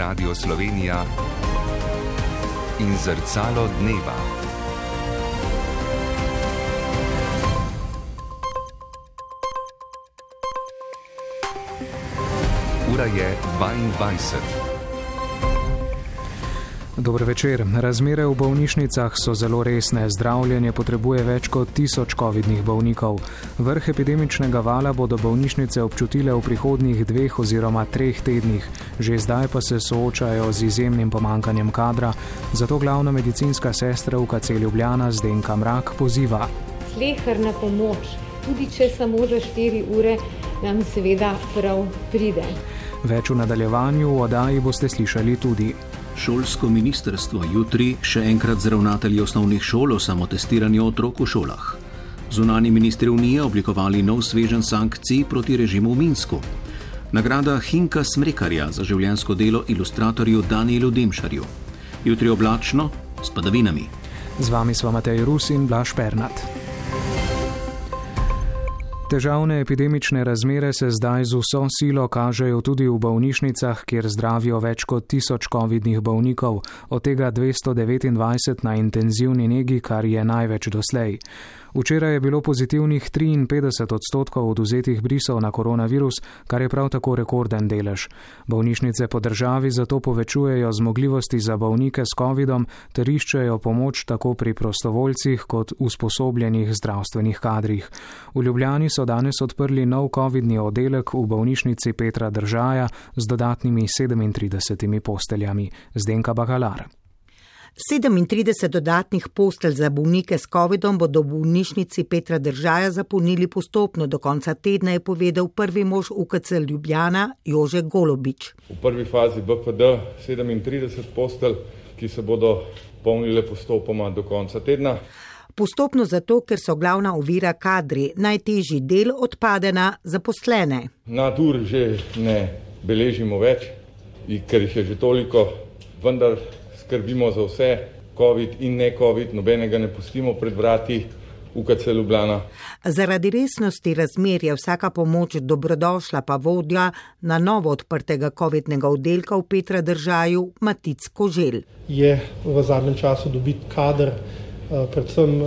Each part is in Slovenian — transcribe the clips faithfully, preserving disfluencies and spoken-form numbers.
Radio Slovenija in Zrcalo dneva. Ura je dvaindvajset. Dober večer. Razmere v bolnišnicah so zelo resne. Zdravljenje potrebuje več kot tisoč covidnih bolnikov. Vrh epidemičnega vala bodo bolnišnice občutile v prihodnjih dveh oziroma treh tednih. Že zdaj pa se soočajo z izjemnim pomankanjem kadra, zato glavna medicinska sestra U K C Ljubljana Zdenka Mrak poziva. Sleherna pomoč, tudi če samo za štiri ure, nam seveda prav pride. Več v nadaljevanju v oddaji boste slišali tudi. Šolsko ministrstvo jutri še enkrat z ravnatelji osnovnih šol o samotestiranju otrok v šolah. Zunanji ministri Unije oblikovali nov sveženj sankcij proti režimu v Minsku. Nagrada Hinka Smrekarja za življenjsko delo ilustratorju Danielu Demšarju. Jutri oblačno s padavinami. Z vami sva Matej Rus in Blaž Pernat. Težavne epidemične razmere se zdaj z vso silo kažejo tudi v bolnišnicah, kjer zdravijo več kot tisoč covidnih bolnikov, od tega dvesto devetindvajset na intenzivni negi, kar je največ doslej. Včeraj je bilo pozitivnih triinpetdeset odstotkov odvzetih brisov na koronavirus, kar je prav tako rekorden delež. Bolnišnice po državi zato povečujejo zmogljivosti za bolnike s covidom ter iščejo pomoč tako pri prostovoljcih kot usposobljenih zdravstvenih kadrih. V Ljubljani so danes odprli nov covidni oddelek v bolnišnici Petra Držaja z dodatnimi sedemintridesetimi posteljami. Zdenka Bakalar. sedemintrideset dodatnih postelj za bolnike s covidom bodo v bolnišnici Petra Držaja zapolnili postopno. Do konca tedna je povedal prvi mož U K C Ljubljana Jože Golobič. V prvi fazi B P D sedemintrideset postelj, ki se bodo polnile postopoma do konca tedna. Postopno zato, ker so glavna ovira kadri, najtežji del odpade na zaposlene. Nadur že ne beležimo več, ker jih je že toliko, vendar skrbimo za vse, covid in ne covid, nobenega ne pustimo pred vrati U K C Ljubljana. Zaradi resnosti razmer je vsaka pomoč dobrodošla, pa vodja na novo odprtega covidnega oddelka v Petra Držaju Matic Koželj. Je v zadnjem času dobiti kader, predvsem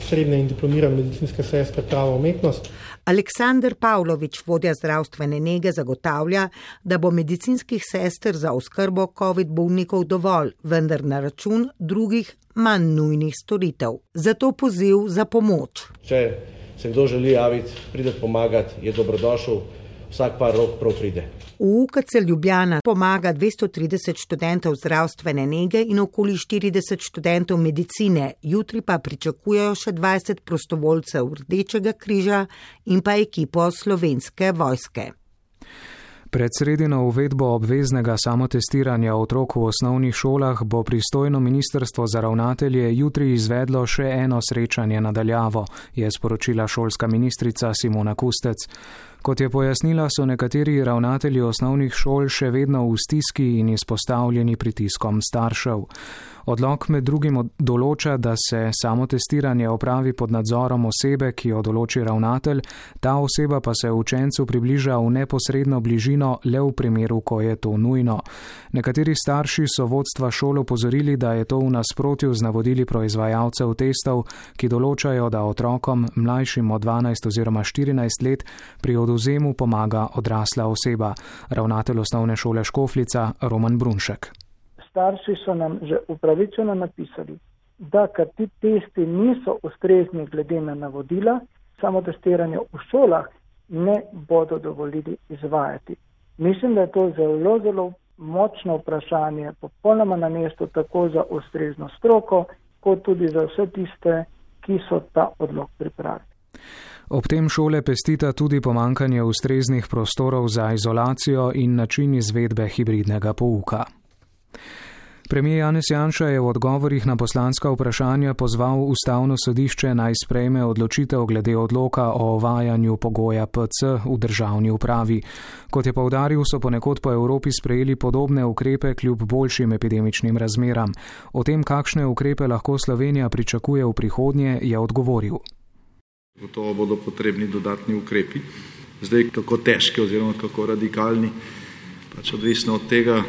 srednje in diplomirane medicinske sestre prava umetnost. Aleksandar Pavlovič, vodja zdravstvene nege, zagotavlja, da bo medicinskih sester za oskrbo covid bolnikov dovolj, vendar na račun drugih manj nujnih storitev. Zato poziv za pomoč. Če se kdo želi javiti, pride pomagati, je dobrodošel, vsak par rok prav pride. V U K C Ljubljana pomaga dvesto trideset študentov zdravstvene nege in okoli štirideset študentov medicine. Jutri pa pričakujejo še dvajset prostovoljcev Rdečega križa in pa ekipo Slovenske vojske. Pred sredino uvedbo obveznega samotestiranja otrok v osnovnih šolah bo pristojno ministrstvo za ravnatelje jutri izvedlo še eno srečanje na daljavo, je sporočila šolska ministrica Simona Kustec. Kot je pojasnila, so nekateri ravnatelji osnovnih šol še vedno v stiski in izpostavljeni pritiskom staršev. Odlok med drugim določa, da se samotestiranje opravi pod nadzorom osebe, ki jo določi ravnatelj, ta oseba pa se učencu približa v neposredno bližino le v primeru, ko je to nujno. Nekateri starši so vodstva šol opozorili, da je to v nasprotju z navodili proizvajalcev testov, ki določajo, da otrokom mlajšim od dvanajst oziroma štirinajst let pri odvzemu pomaga odrasla oseba. Ravnatelj osnovne šole Škofljica Roman Brunšek. Starši so nam že upravičeno napisali, da ker ti testi niso ustrezni glede na navodila, samotestiranje v šolah ne bodo dovolili izvajati. Mislim, da je to zelo, zelo močno vprašanje, popolnoma na mestu tako za ustrezno stroko, kot tudi za vse tiste, ki so ta odlok pripravili. Ob tem šole pestita tudi pomankanje ustreznih prostorov za izolacijo in način izvedbe hibridnega pouka. Premijer Janez Janša je v odgovorih na poslanska vprašanja pozval Ustavno sodišče naj sprejme odločitev glede odloka o uvajanju pogoja P C v državni upravi. Kot je poudaril, so ponekod po Evropi sprejeli podobne ukrepe kljub boljšim epidemičnim razmeram. O tem, kakšne ukrepe lahko Slovenija pričakuje v prihodnje, je odgovoril. Gotovo bodo potrebni dodatni ukrepi. Zdaj, kako težki oziroma kako radikalni, pač odvisno od tega,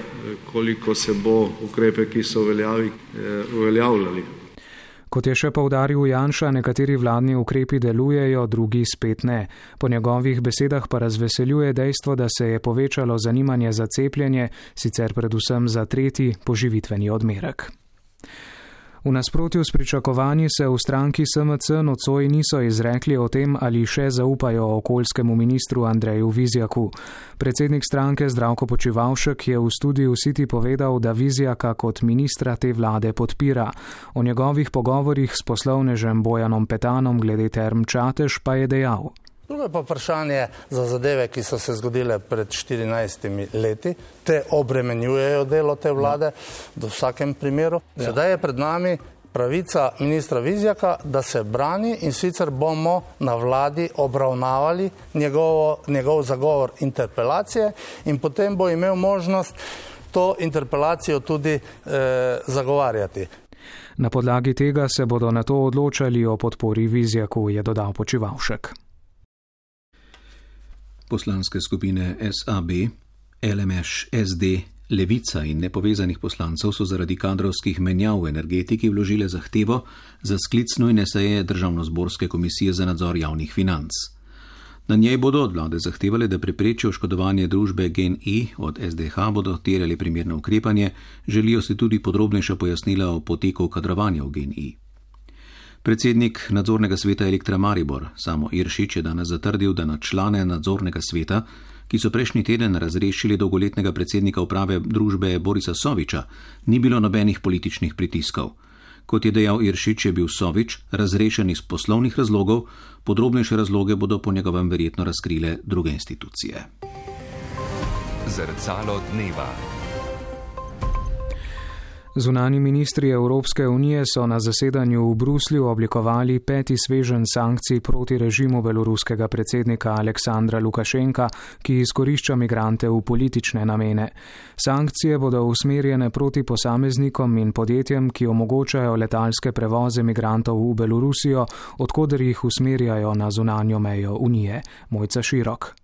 koliko se bo ukrepe, ki so veljavi, uveljavljali. Kot je še poudaril Janša, nekateri vladni ukrepi delujejo, drugi spet ne. Po njegovih besedah pa razveseljuje dejstvo, da se je povečalo zanimanje za cepljenje, sicer predvsem za tretji poživitveni odmerek. V nasprotju s pričakovanji se v stranki S M C nocoj niso izrekli o tem, ali še zaupajo okoljskemu ministru Andreju Vizjaku. Predsednik stranke Zdravko Počivalšek je v studiu City povedal, da Vizjaka kot ministra te vlade podpira. O njegovih pogovorih s poslovnežem Bojanom Petanom glede Term Čatež pa je dejal. Drugo pa vprašanje za zadeve, ki so se zgodile pred štirinajstimi leti. Te obremenjujejo delo te vlade v vsakem primeru. Sedaj je pred nami pravica ministra Vizjaka, da se brani in sicer bomo na vladi obravnavali njegovo, njegov zagovor interpelacije in potem bo imel možnost to interpelacijo tudi eh, zagovarjati. Na podlagi tega se bodo na to odločali o podpori Vizjaku, je dodal Počivalšek. Poslanske skupine S A B, L M Š, S D, Levica in nepovezanih poslancev so zaradi kadrovskih menjav v energetiki vložile zahtevo za sklic nujne seje Državnozborske komisije za nadzor javnih financ. Na njej bodo od vlade zahtevali, da preprečijo oškodovanje družbe G N I, od S D H bodo terjali primerno ukrepanje, želijo si tudi podrobnejša pojasnila o poteku kadrovanja v G N I. Predsednik nadzornega sveta Elektra Maribor, Samo Iršič, je danes zatrdil, da na člane nadzornega sveta, ki so prejšnji teden razrešili dolgoletnega predsednika uprave družbe Borisa Soviča, ni bilo nobenih političnih pritiskov. Kot je dejal Iršič, je bil Sovič razrešen iz poslovnih razlogov, podrobnejše razloge bodo po njegovem verjetno razkrile druge institucije. Zrcalo dneva. Zunani ministri Evropske unije so na zasedanju v Bruslju oblikovali peti sveženj sankcij proti režimu beloruskega predsednika Aleksandra Lukašenka, ki izkorišča migrante v politične namene. Sankcije bodo usmerjene proti posameznikom in podjetjem, ki omogočajo letalske prevoze migrantov v Belorusijo, odkoder jih usmerjajo na zunanjo mejo Unije. Mojca Širok.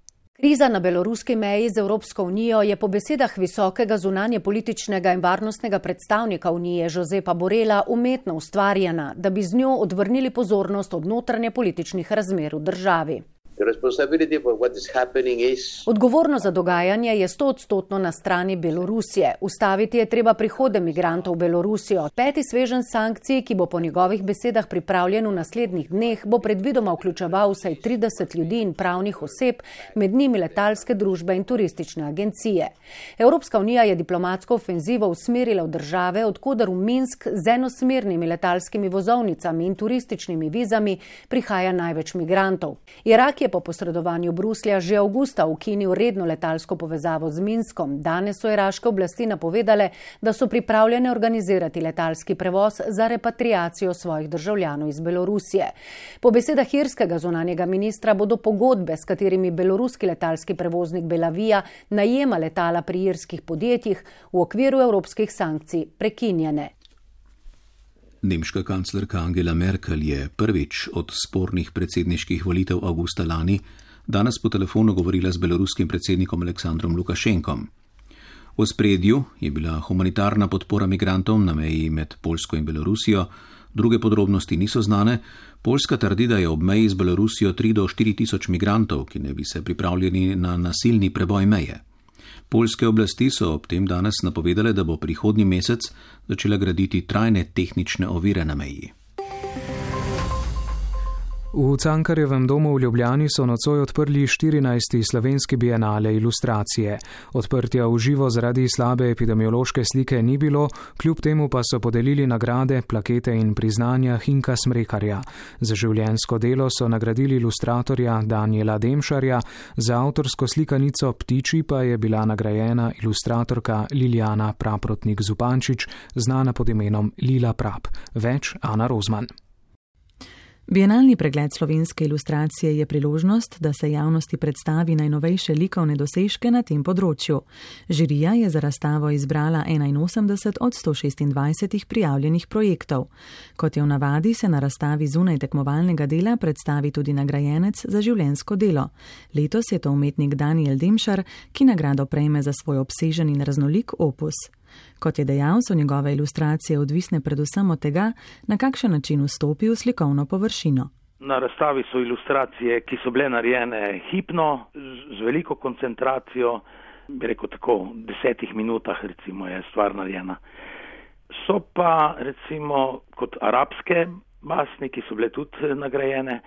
Kriza na beloruski meji z Evropsko unijo je po besedah visokega zunanje političnega in varnostnega predstavnika Unije Josepa Borela umetno ustvarjena, da bi z njo odvrnili pozornost od notranje političnih razmer v državi. Odgovornost za dogajanje je stoodstotno na strani Belorusije. Ustaviti je treba prihode migrantov v Belorusijo. Peti sveženj sankcij, ki bo po njegovih besedah pripravljen v naslednjih dneh, bo predvidoma vključeval vsaj trideset ljudi in pravnih oseb, med njimi letalske družbe in turistične agencije. Evropska unija je diplomatsko ofenzivo usmerila v države, odkoder v Minsk z enosmernimi letalskimi vozovnicami in turističnimi vizami prihaja največ migrantov. Irak je po posredovanju Bruslja že avgusta ukinil redno letalsko povezavo z Minskom. Danes so iraške oblasti napovedale, da so pripravljene organizirati letalski prevoz za repatriacijo svojih državljanov iz Belorusije. Po besedah irskega zunanjega ministra bodo pogodbe, s katerimi beloruski letalski prevoznik Belavija najema letala pri irskih podjetjih, v okviru evropskih sankcij prekinjene. Nemška kanclerka Angela Merkel je prvič od spornih predsedniških volitev avgusta lani danes po telefonu govorila z beloruskim predsednikom Aleksandrom Lukašenkom. V ospredju je bila humanitarna podpora migrantom na meji med Poljsko in Belorusijo, druge podrobnosti niso znane. Poljska trdi, da je ob meji z Belorusijo tri do štiri tisoč migrantov, ki ne bi se pripravljeni na nasilni preboj meje. Poljske oblasti so ob tem danes napovedale, da bo prihodnji mesec začela graditi trajne tehnične ovire na meji. V Cankarjevem domu v Ljubljani so nocoj odprli štirinajsti slovenski bienale ilustracije. Odprtja v živo zaradi slabe epidemiološke slike ni bilo, kljub temu pa so podelili nagrade, plakete in priznanja Hinka Smrekarja. Za življenjsko delo so nagradili ilustratorja Danijela Demšarja, za avtorsko slikanico Ptiči pa je bila nagrajena ilustratorka Liljana Praprotnik-Zupančič, znana pod imenom Lila Prap. Več Ana Rozman. Bienalni pregled slovenske ilustracije je priložnost, da se javnosti predstavi najnovejše likovne dosežke na tem področju. Žirija je za razstavo izbrala enainosemdeset od sto šestindvajset prijavljenih projektov. Kot je v navadi, se na razstavi zunaj tekmovalnega dela predstavi tudi nagrajenec za življenjsko delo. Letos je to umetnik Daniel Demšar, ki nagrado prejme za svoj obsežen in raznolik opus. Kot je dejal, so njegove ilustracije odvisne predvsem od tega, na kakšen način vstopi v slikovno površino. Na razstavi so ilustracije, ki so bile narejene hipno, z veliko koncentracijo, bi rekel tako, v desetih minutah recimo je stvar narejena. So pa recimo kot arabske basni, ki so bile tudi nagrajene,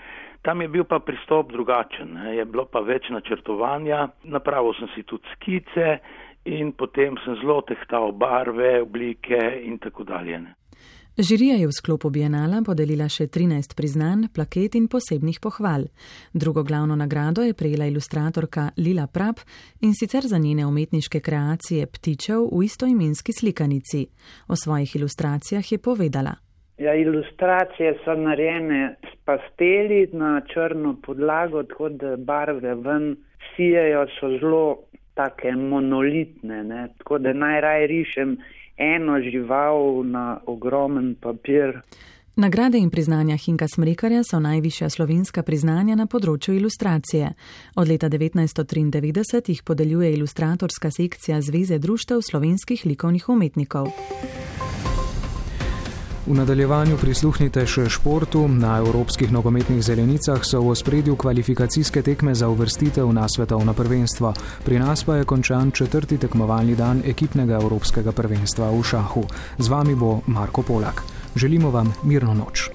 tam je bil pa pristop drugačen, je bilo pa več načrtovanja, napravil sem si tudi skice, in potem sem zelo tehtal barve, oblike in tako dalje. Žirija je v sklopu bienala podelila še trinajst priznanj, plaket in posebnih pohval. Drugo glavno nagrado je prejela ilustratorka Lila Prap in sicer za njene umetniške kreacije ptičev v istoimenski slikanici. O svojih ilustracijah je povedala. Ja, ilustracije so narejene s pasteli na črno podlago, tako da barve ven sijejo, so zelo take monolitne, ne? Tako da najraje rišem eno žival na ogromen papir. Nagrade in priznanja Hinka Smrekarja so najvišja slovenska priznanja na področju ilustracije. Od leta devetnajststo triindevetdeset jih podeljuje ilustratorska sekcija Zveze društev slovenskih likovnih umetnikov. V nadaljevanju prisluhnite še športu. Na evropskih nogometnih zelenicah so v ospredju kvalifikacijske tekme za uvrstitev na svetovno prvenstvo. Pri nas pa je končan četrti tekmovalni dan ekipnega evropskega prvenstva v šahu. Z vami bo Marko Polak. Želimo vam mirno noč.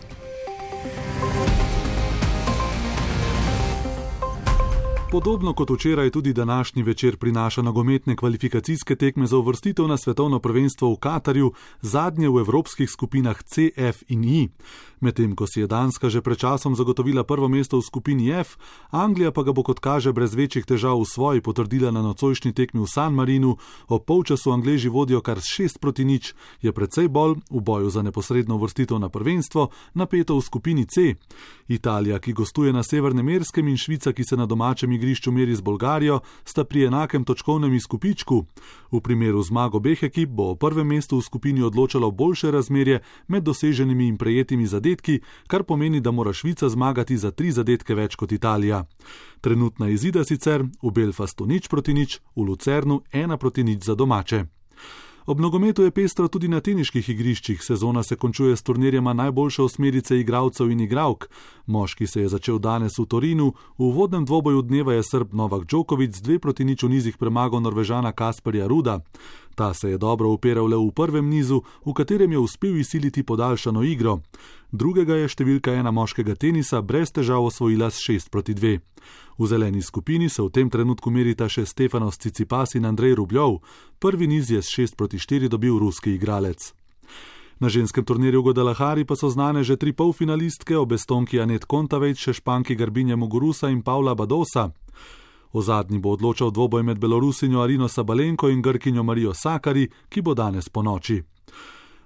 Podobno kot včeraj tudi današnji večer prinaša nogometne kvalifikacijske tekme za uvrstitev na svetovno prvenstvo v Katarju, zadnje v evropskih skupinah C, F in I. Medtem ko si je Danska že pred časom zagotovila prvo mesto v skupini F, Anglija pa ga bo kot kaže brez večjih težav v svoji potrdila na nocojšnji tekmi v San Marinu. Ob polčasu Angleži vodijo kar šest proti nič, je precej bolj v boju za neposredno uvrstitev na prvenstvo napeto v skupini C. Italija, ki gostuje na Severnem Irskem, in Švica, ki se na domačem igrišču meri z Bolgarijo, sta pri enakem točkovnem izkupičku. V primeru zmag obeh ekip bo o prvem mestu v skupini odločalo boljše razmerje med doseženimi in prejetimi zadetki, kar pomeni, da mora Švica zmagati za tri zadetke več kot Italija. Trenutna izida sicer v Belfastu nič proti nič, v Lucernu ena proti nič za domače. Ob nogometu je pestro tudi na teniških igriščih. Sezona se končuje s turnirjema najboljše osmerice igralcev in igralk. Moški se je začel danes v Torinu, v uvodnem dvoboju dneva je Srb Novak Djokovic z dve proti nič v nizih premagal Norvežana Kasperja Ruda. Ta se je dobro upiral le v prvem nizu, v katerem je uspel izsiliti podaljšano igro. Drugega je številka ena moškega tenisa brez težav osvojila s šest proti dve. V zeleni skupini se v tem trenutku merita še Stefanos Tsitsipas in Andrej Rubljov. Prvi niz je s šest proti štiri dobil ruski igralec. Na ženskem turnirju v Guadalajari pa so znane že tri polfinalistke, obestonki Anet Kontaveit, še Španki Garbine Muguruza in Paula Badosa. O zadnji bo odločal dvoboj med Belorusinjo Arino Sabalenko in Grkinjo Marijo Sakari, ki bo danes ponoči.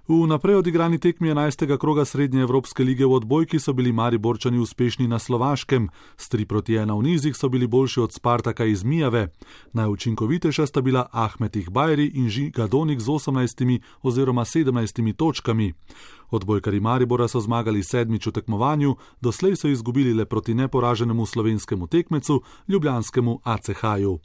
V naprej odigrani tekmi enajstega kroga Srednje Evropske lige v odbojki so bili Mariborčani uspešni na Slovaškem. S tri proti ena v nizih so bili boljši od Spartaka iz Mijave. Najučinkovitejša sta bila Ahmet Ihbajri in Žiga Donik z osemnajstimi oziroma sedemnajstimi točkami. Odbojkari Maribora so zmagali sedmič v tekmovanju, doslej so izgubili le proti neporaženemu slovenskemu tekmecu, ljubljanskemu A C H-ju.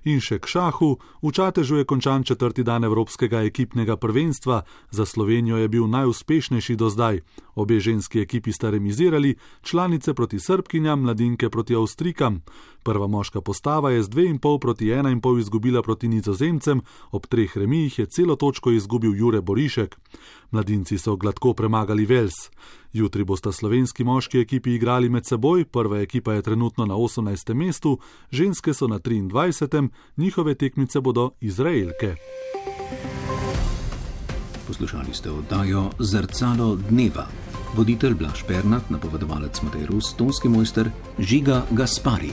In še k šahu. V Čatežu je končan četrti dan evropskega ekipnega prvenstva. Za Slovenijo je bil najuspešnejši do zdaj. Obe ženski ekipi sta remizirali, članice proti Srbkinjam, mladinke proti Avstrikam. Prva moška postava je z dve in pol proti ena in pol izgubila proti Nizozemcem, ob treh remijih je celo točko izgubil Jure Borišek. Mladinci so gladko premagali Vels. Jutri bosta slovenski moški ekipi igrali med seboj, prva ekipa je trenutno na osemnajstem mestu, ženske so na triindvajsetem, njihove tekmice bodo Izraelke. Poslušali ste oddajo Zrcalo dneva. Voditelj Blaž Pernat, napovedovalec Matej Rus, tonski mojster Žiga Gaspari.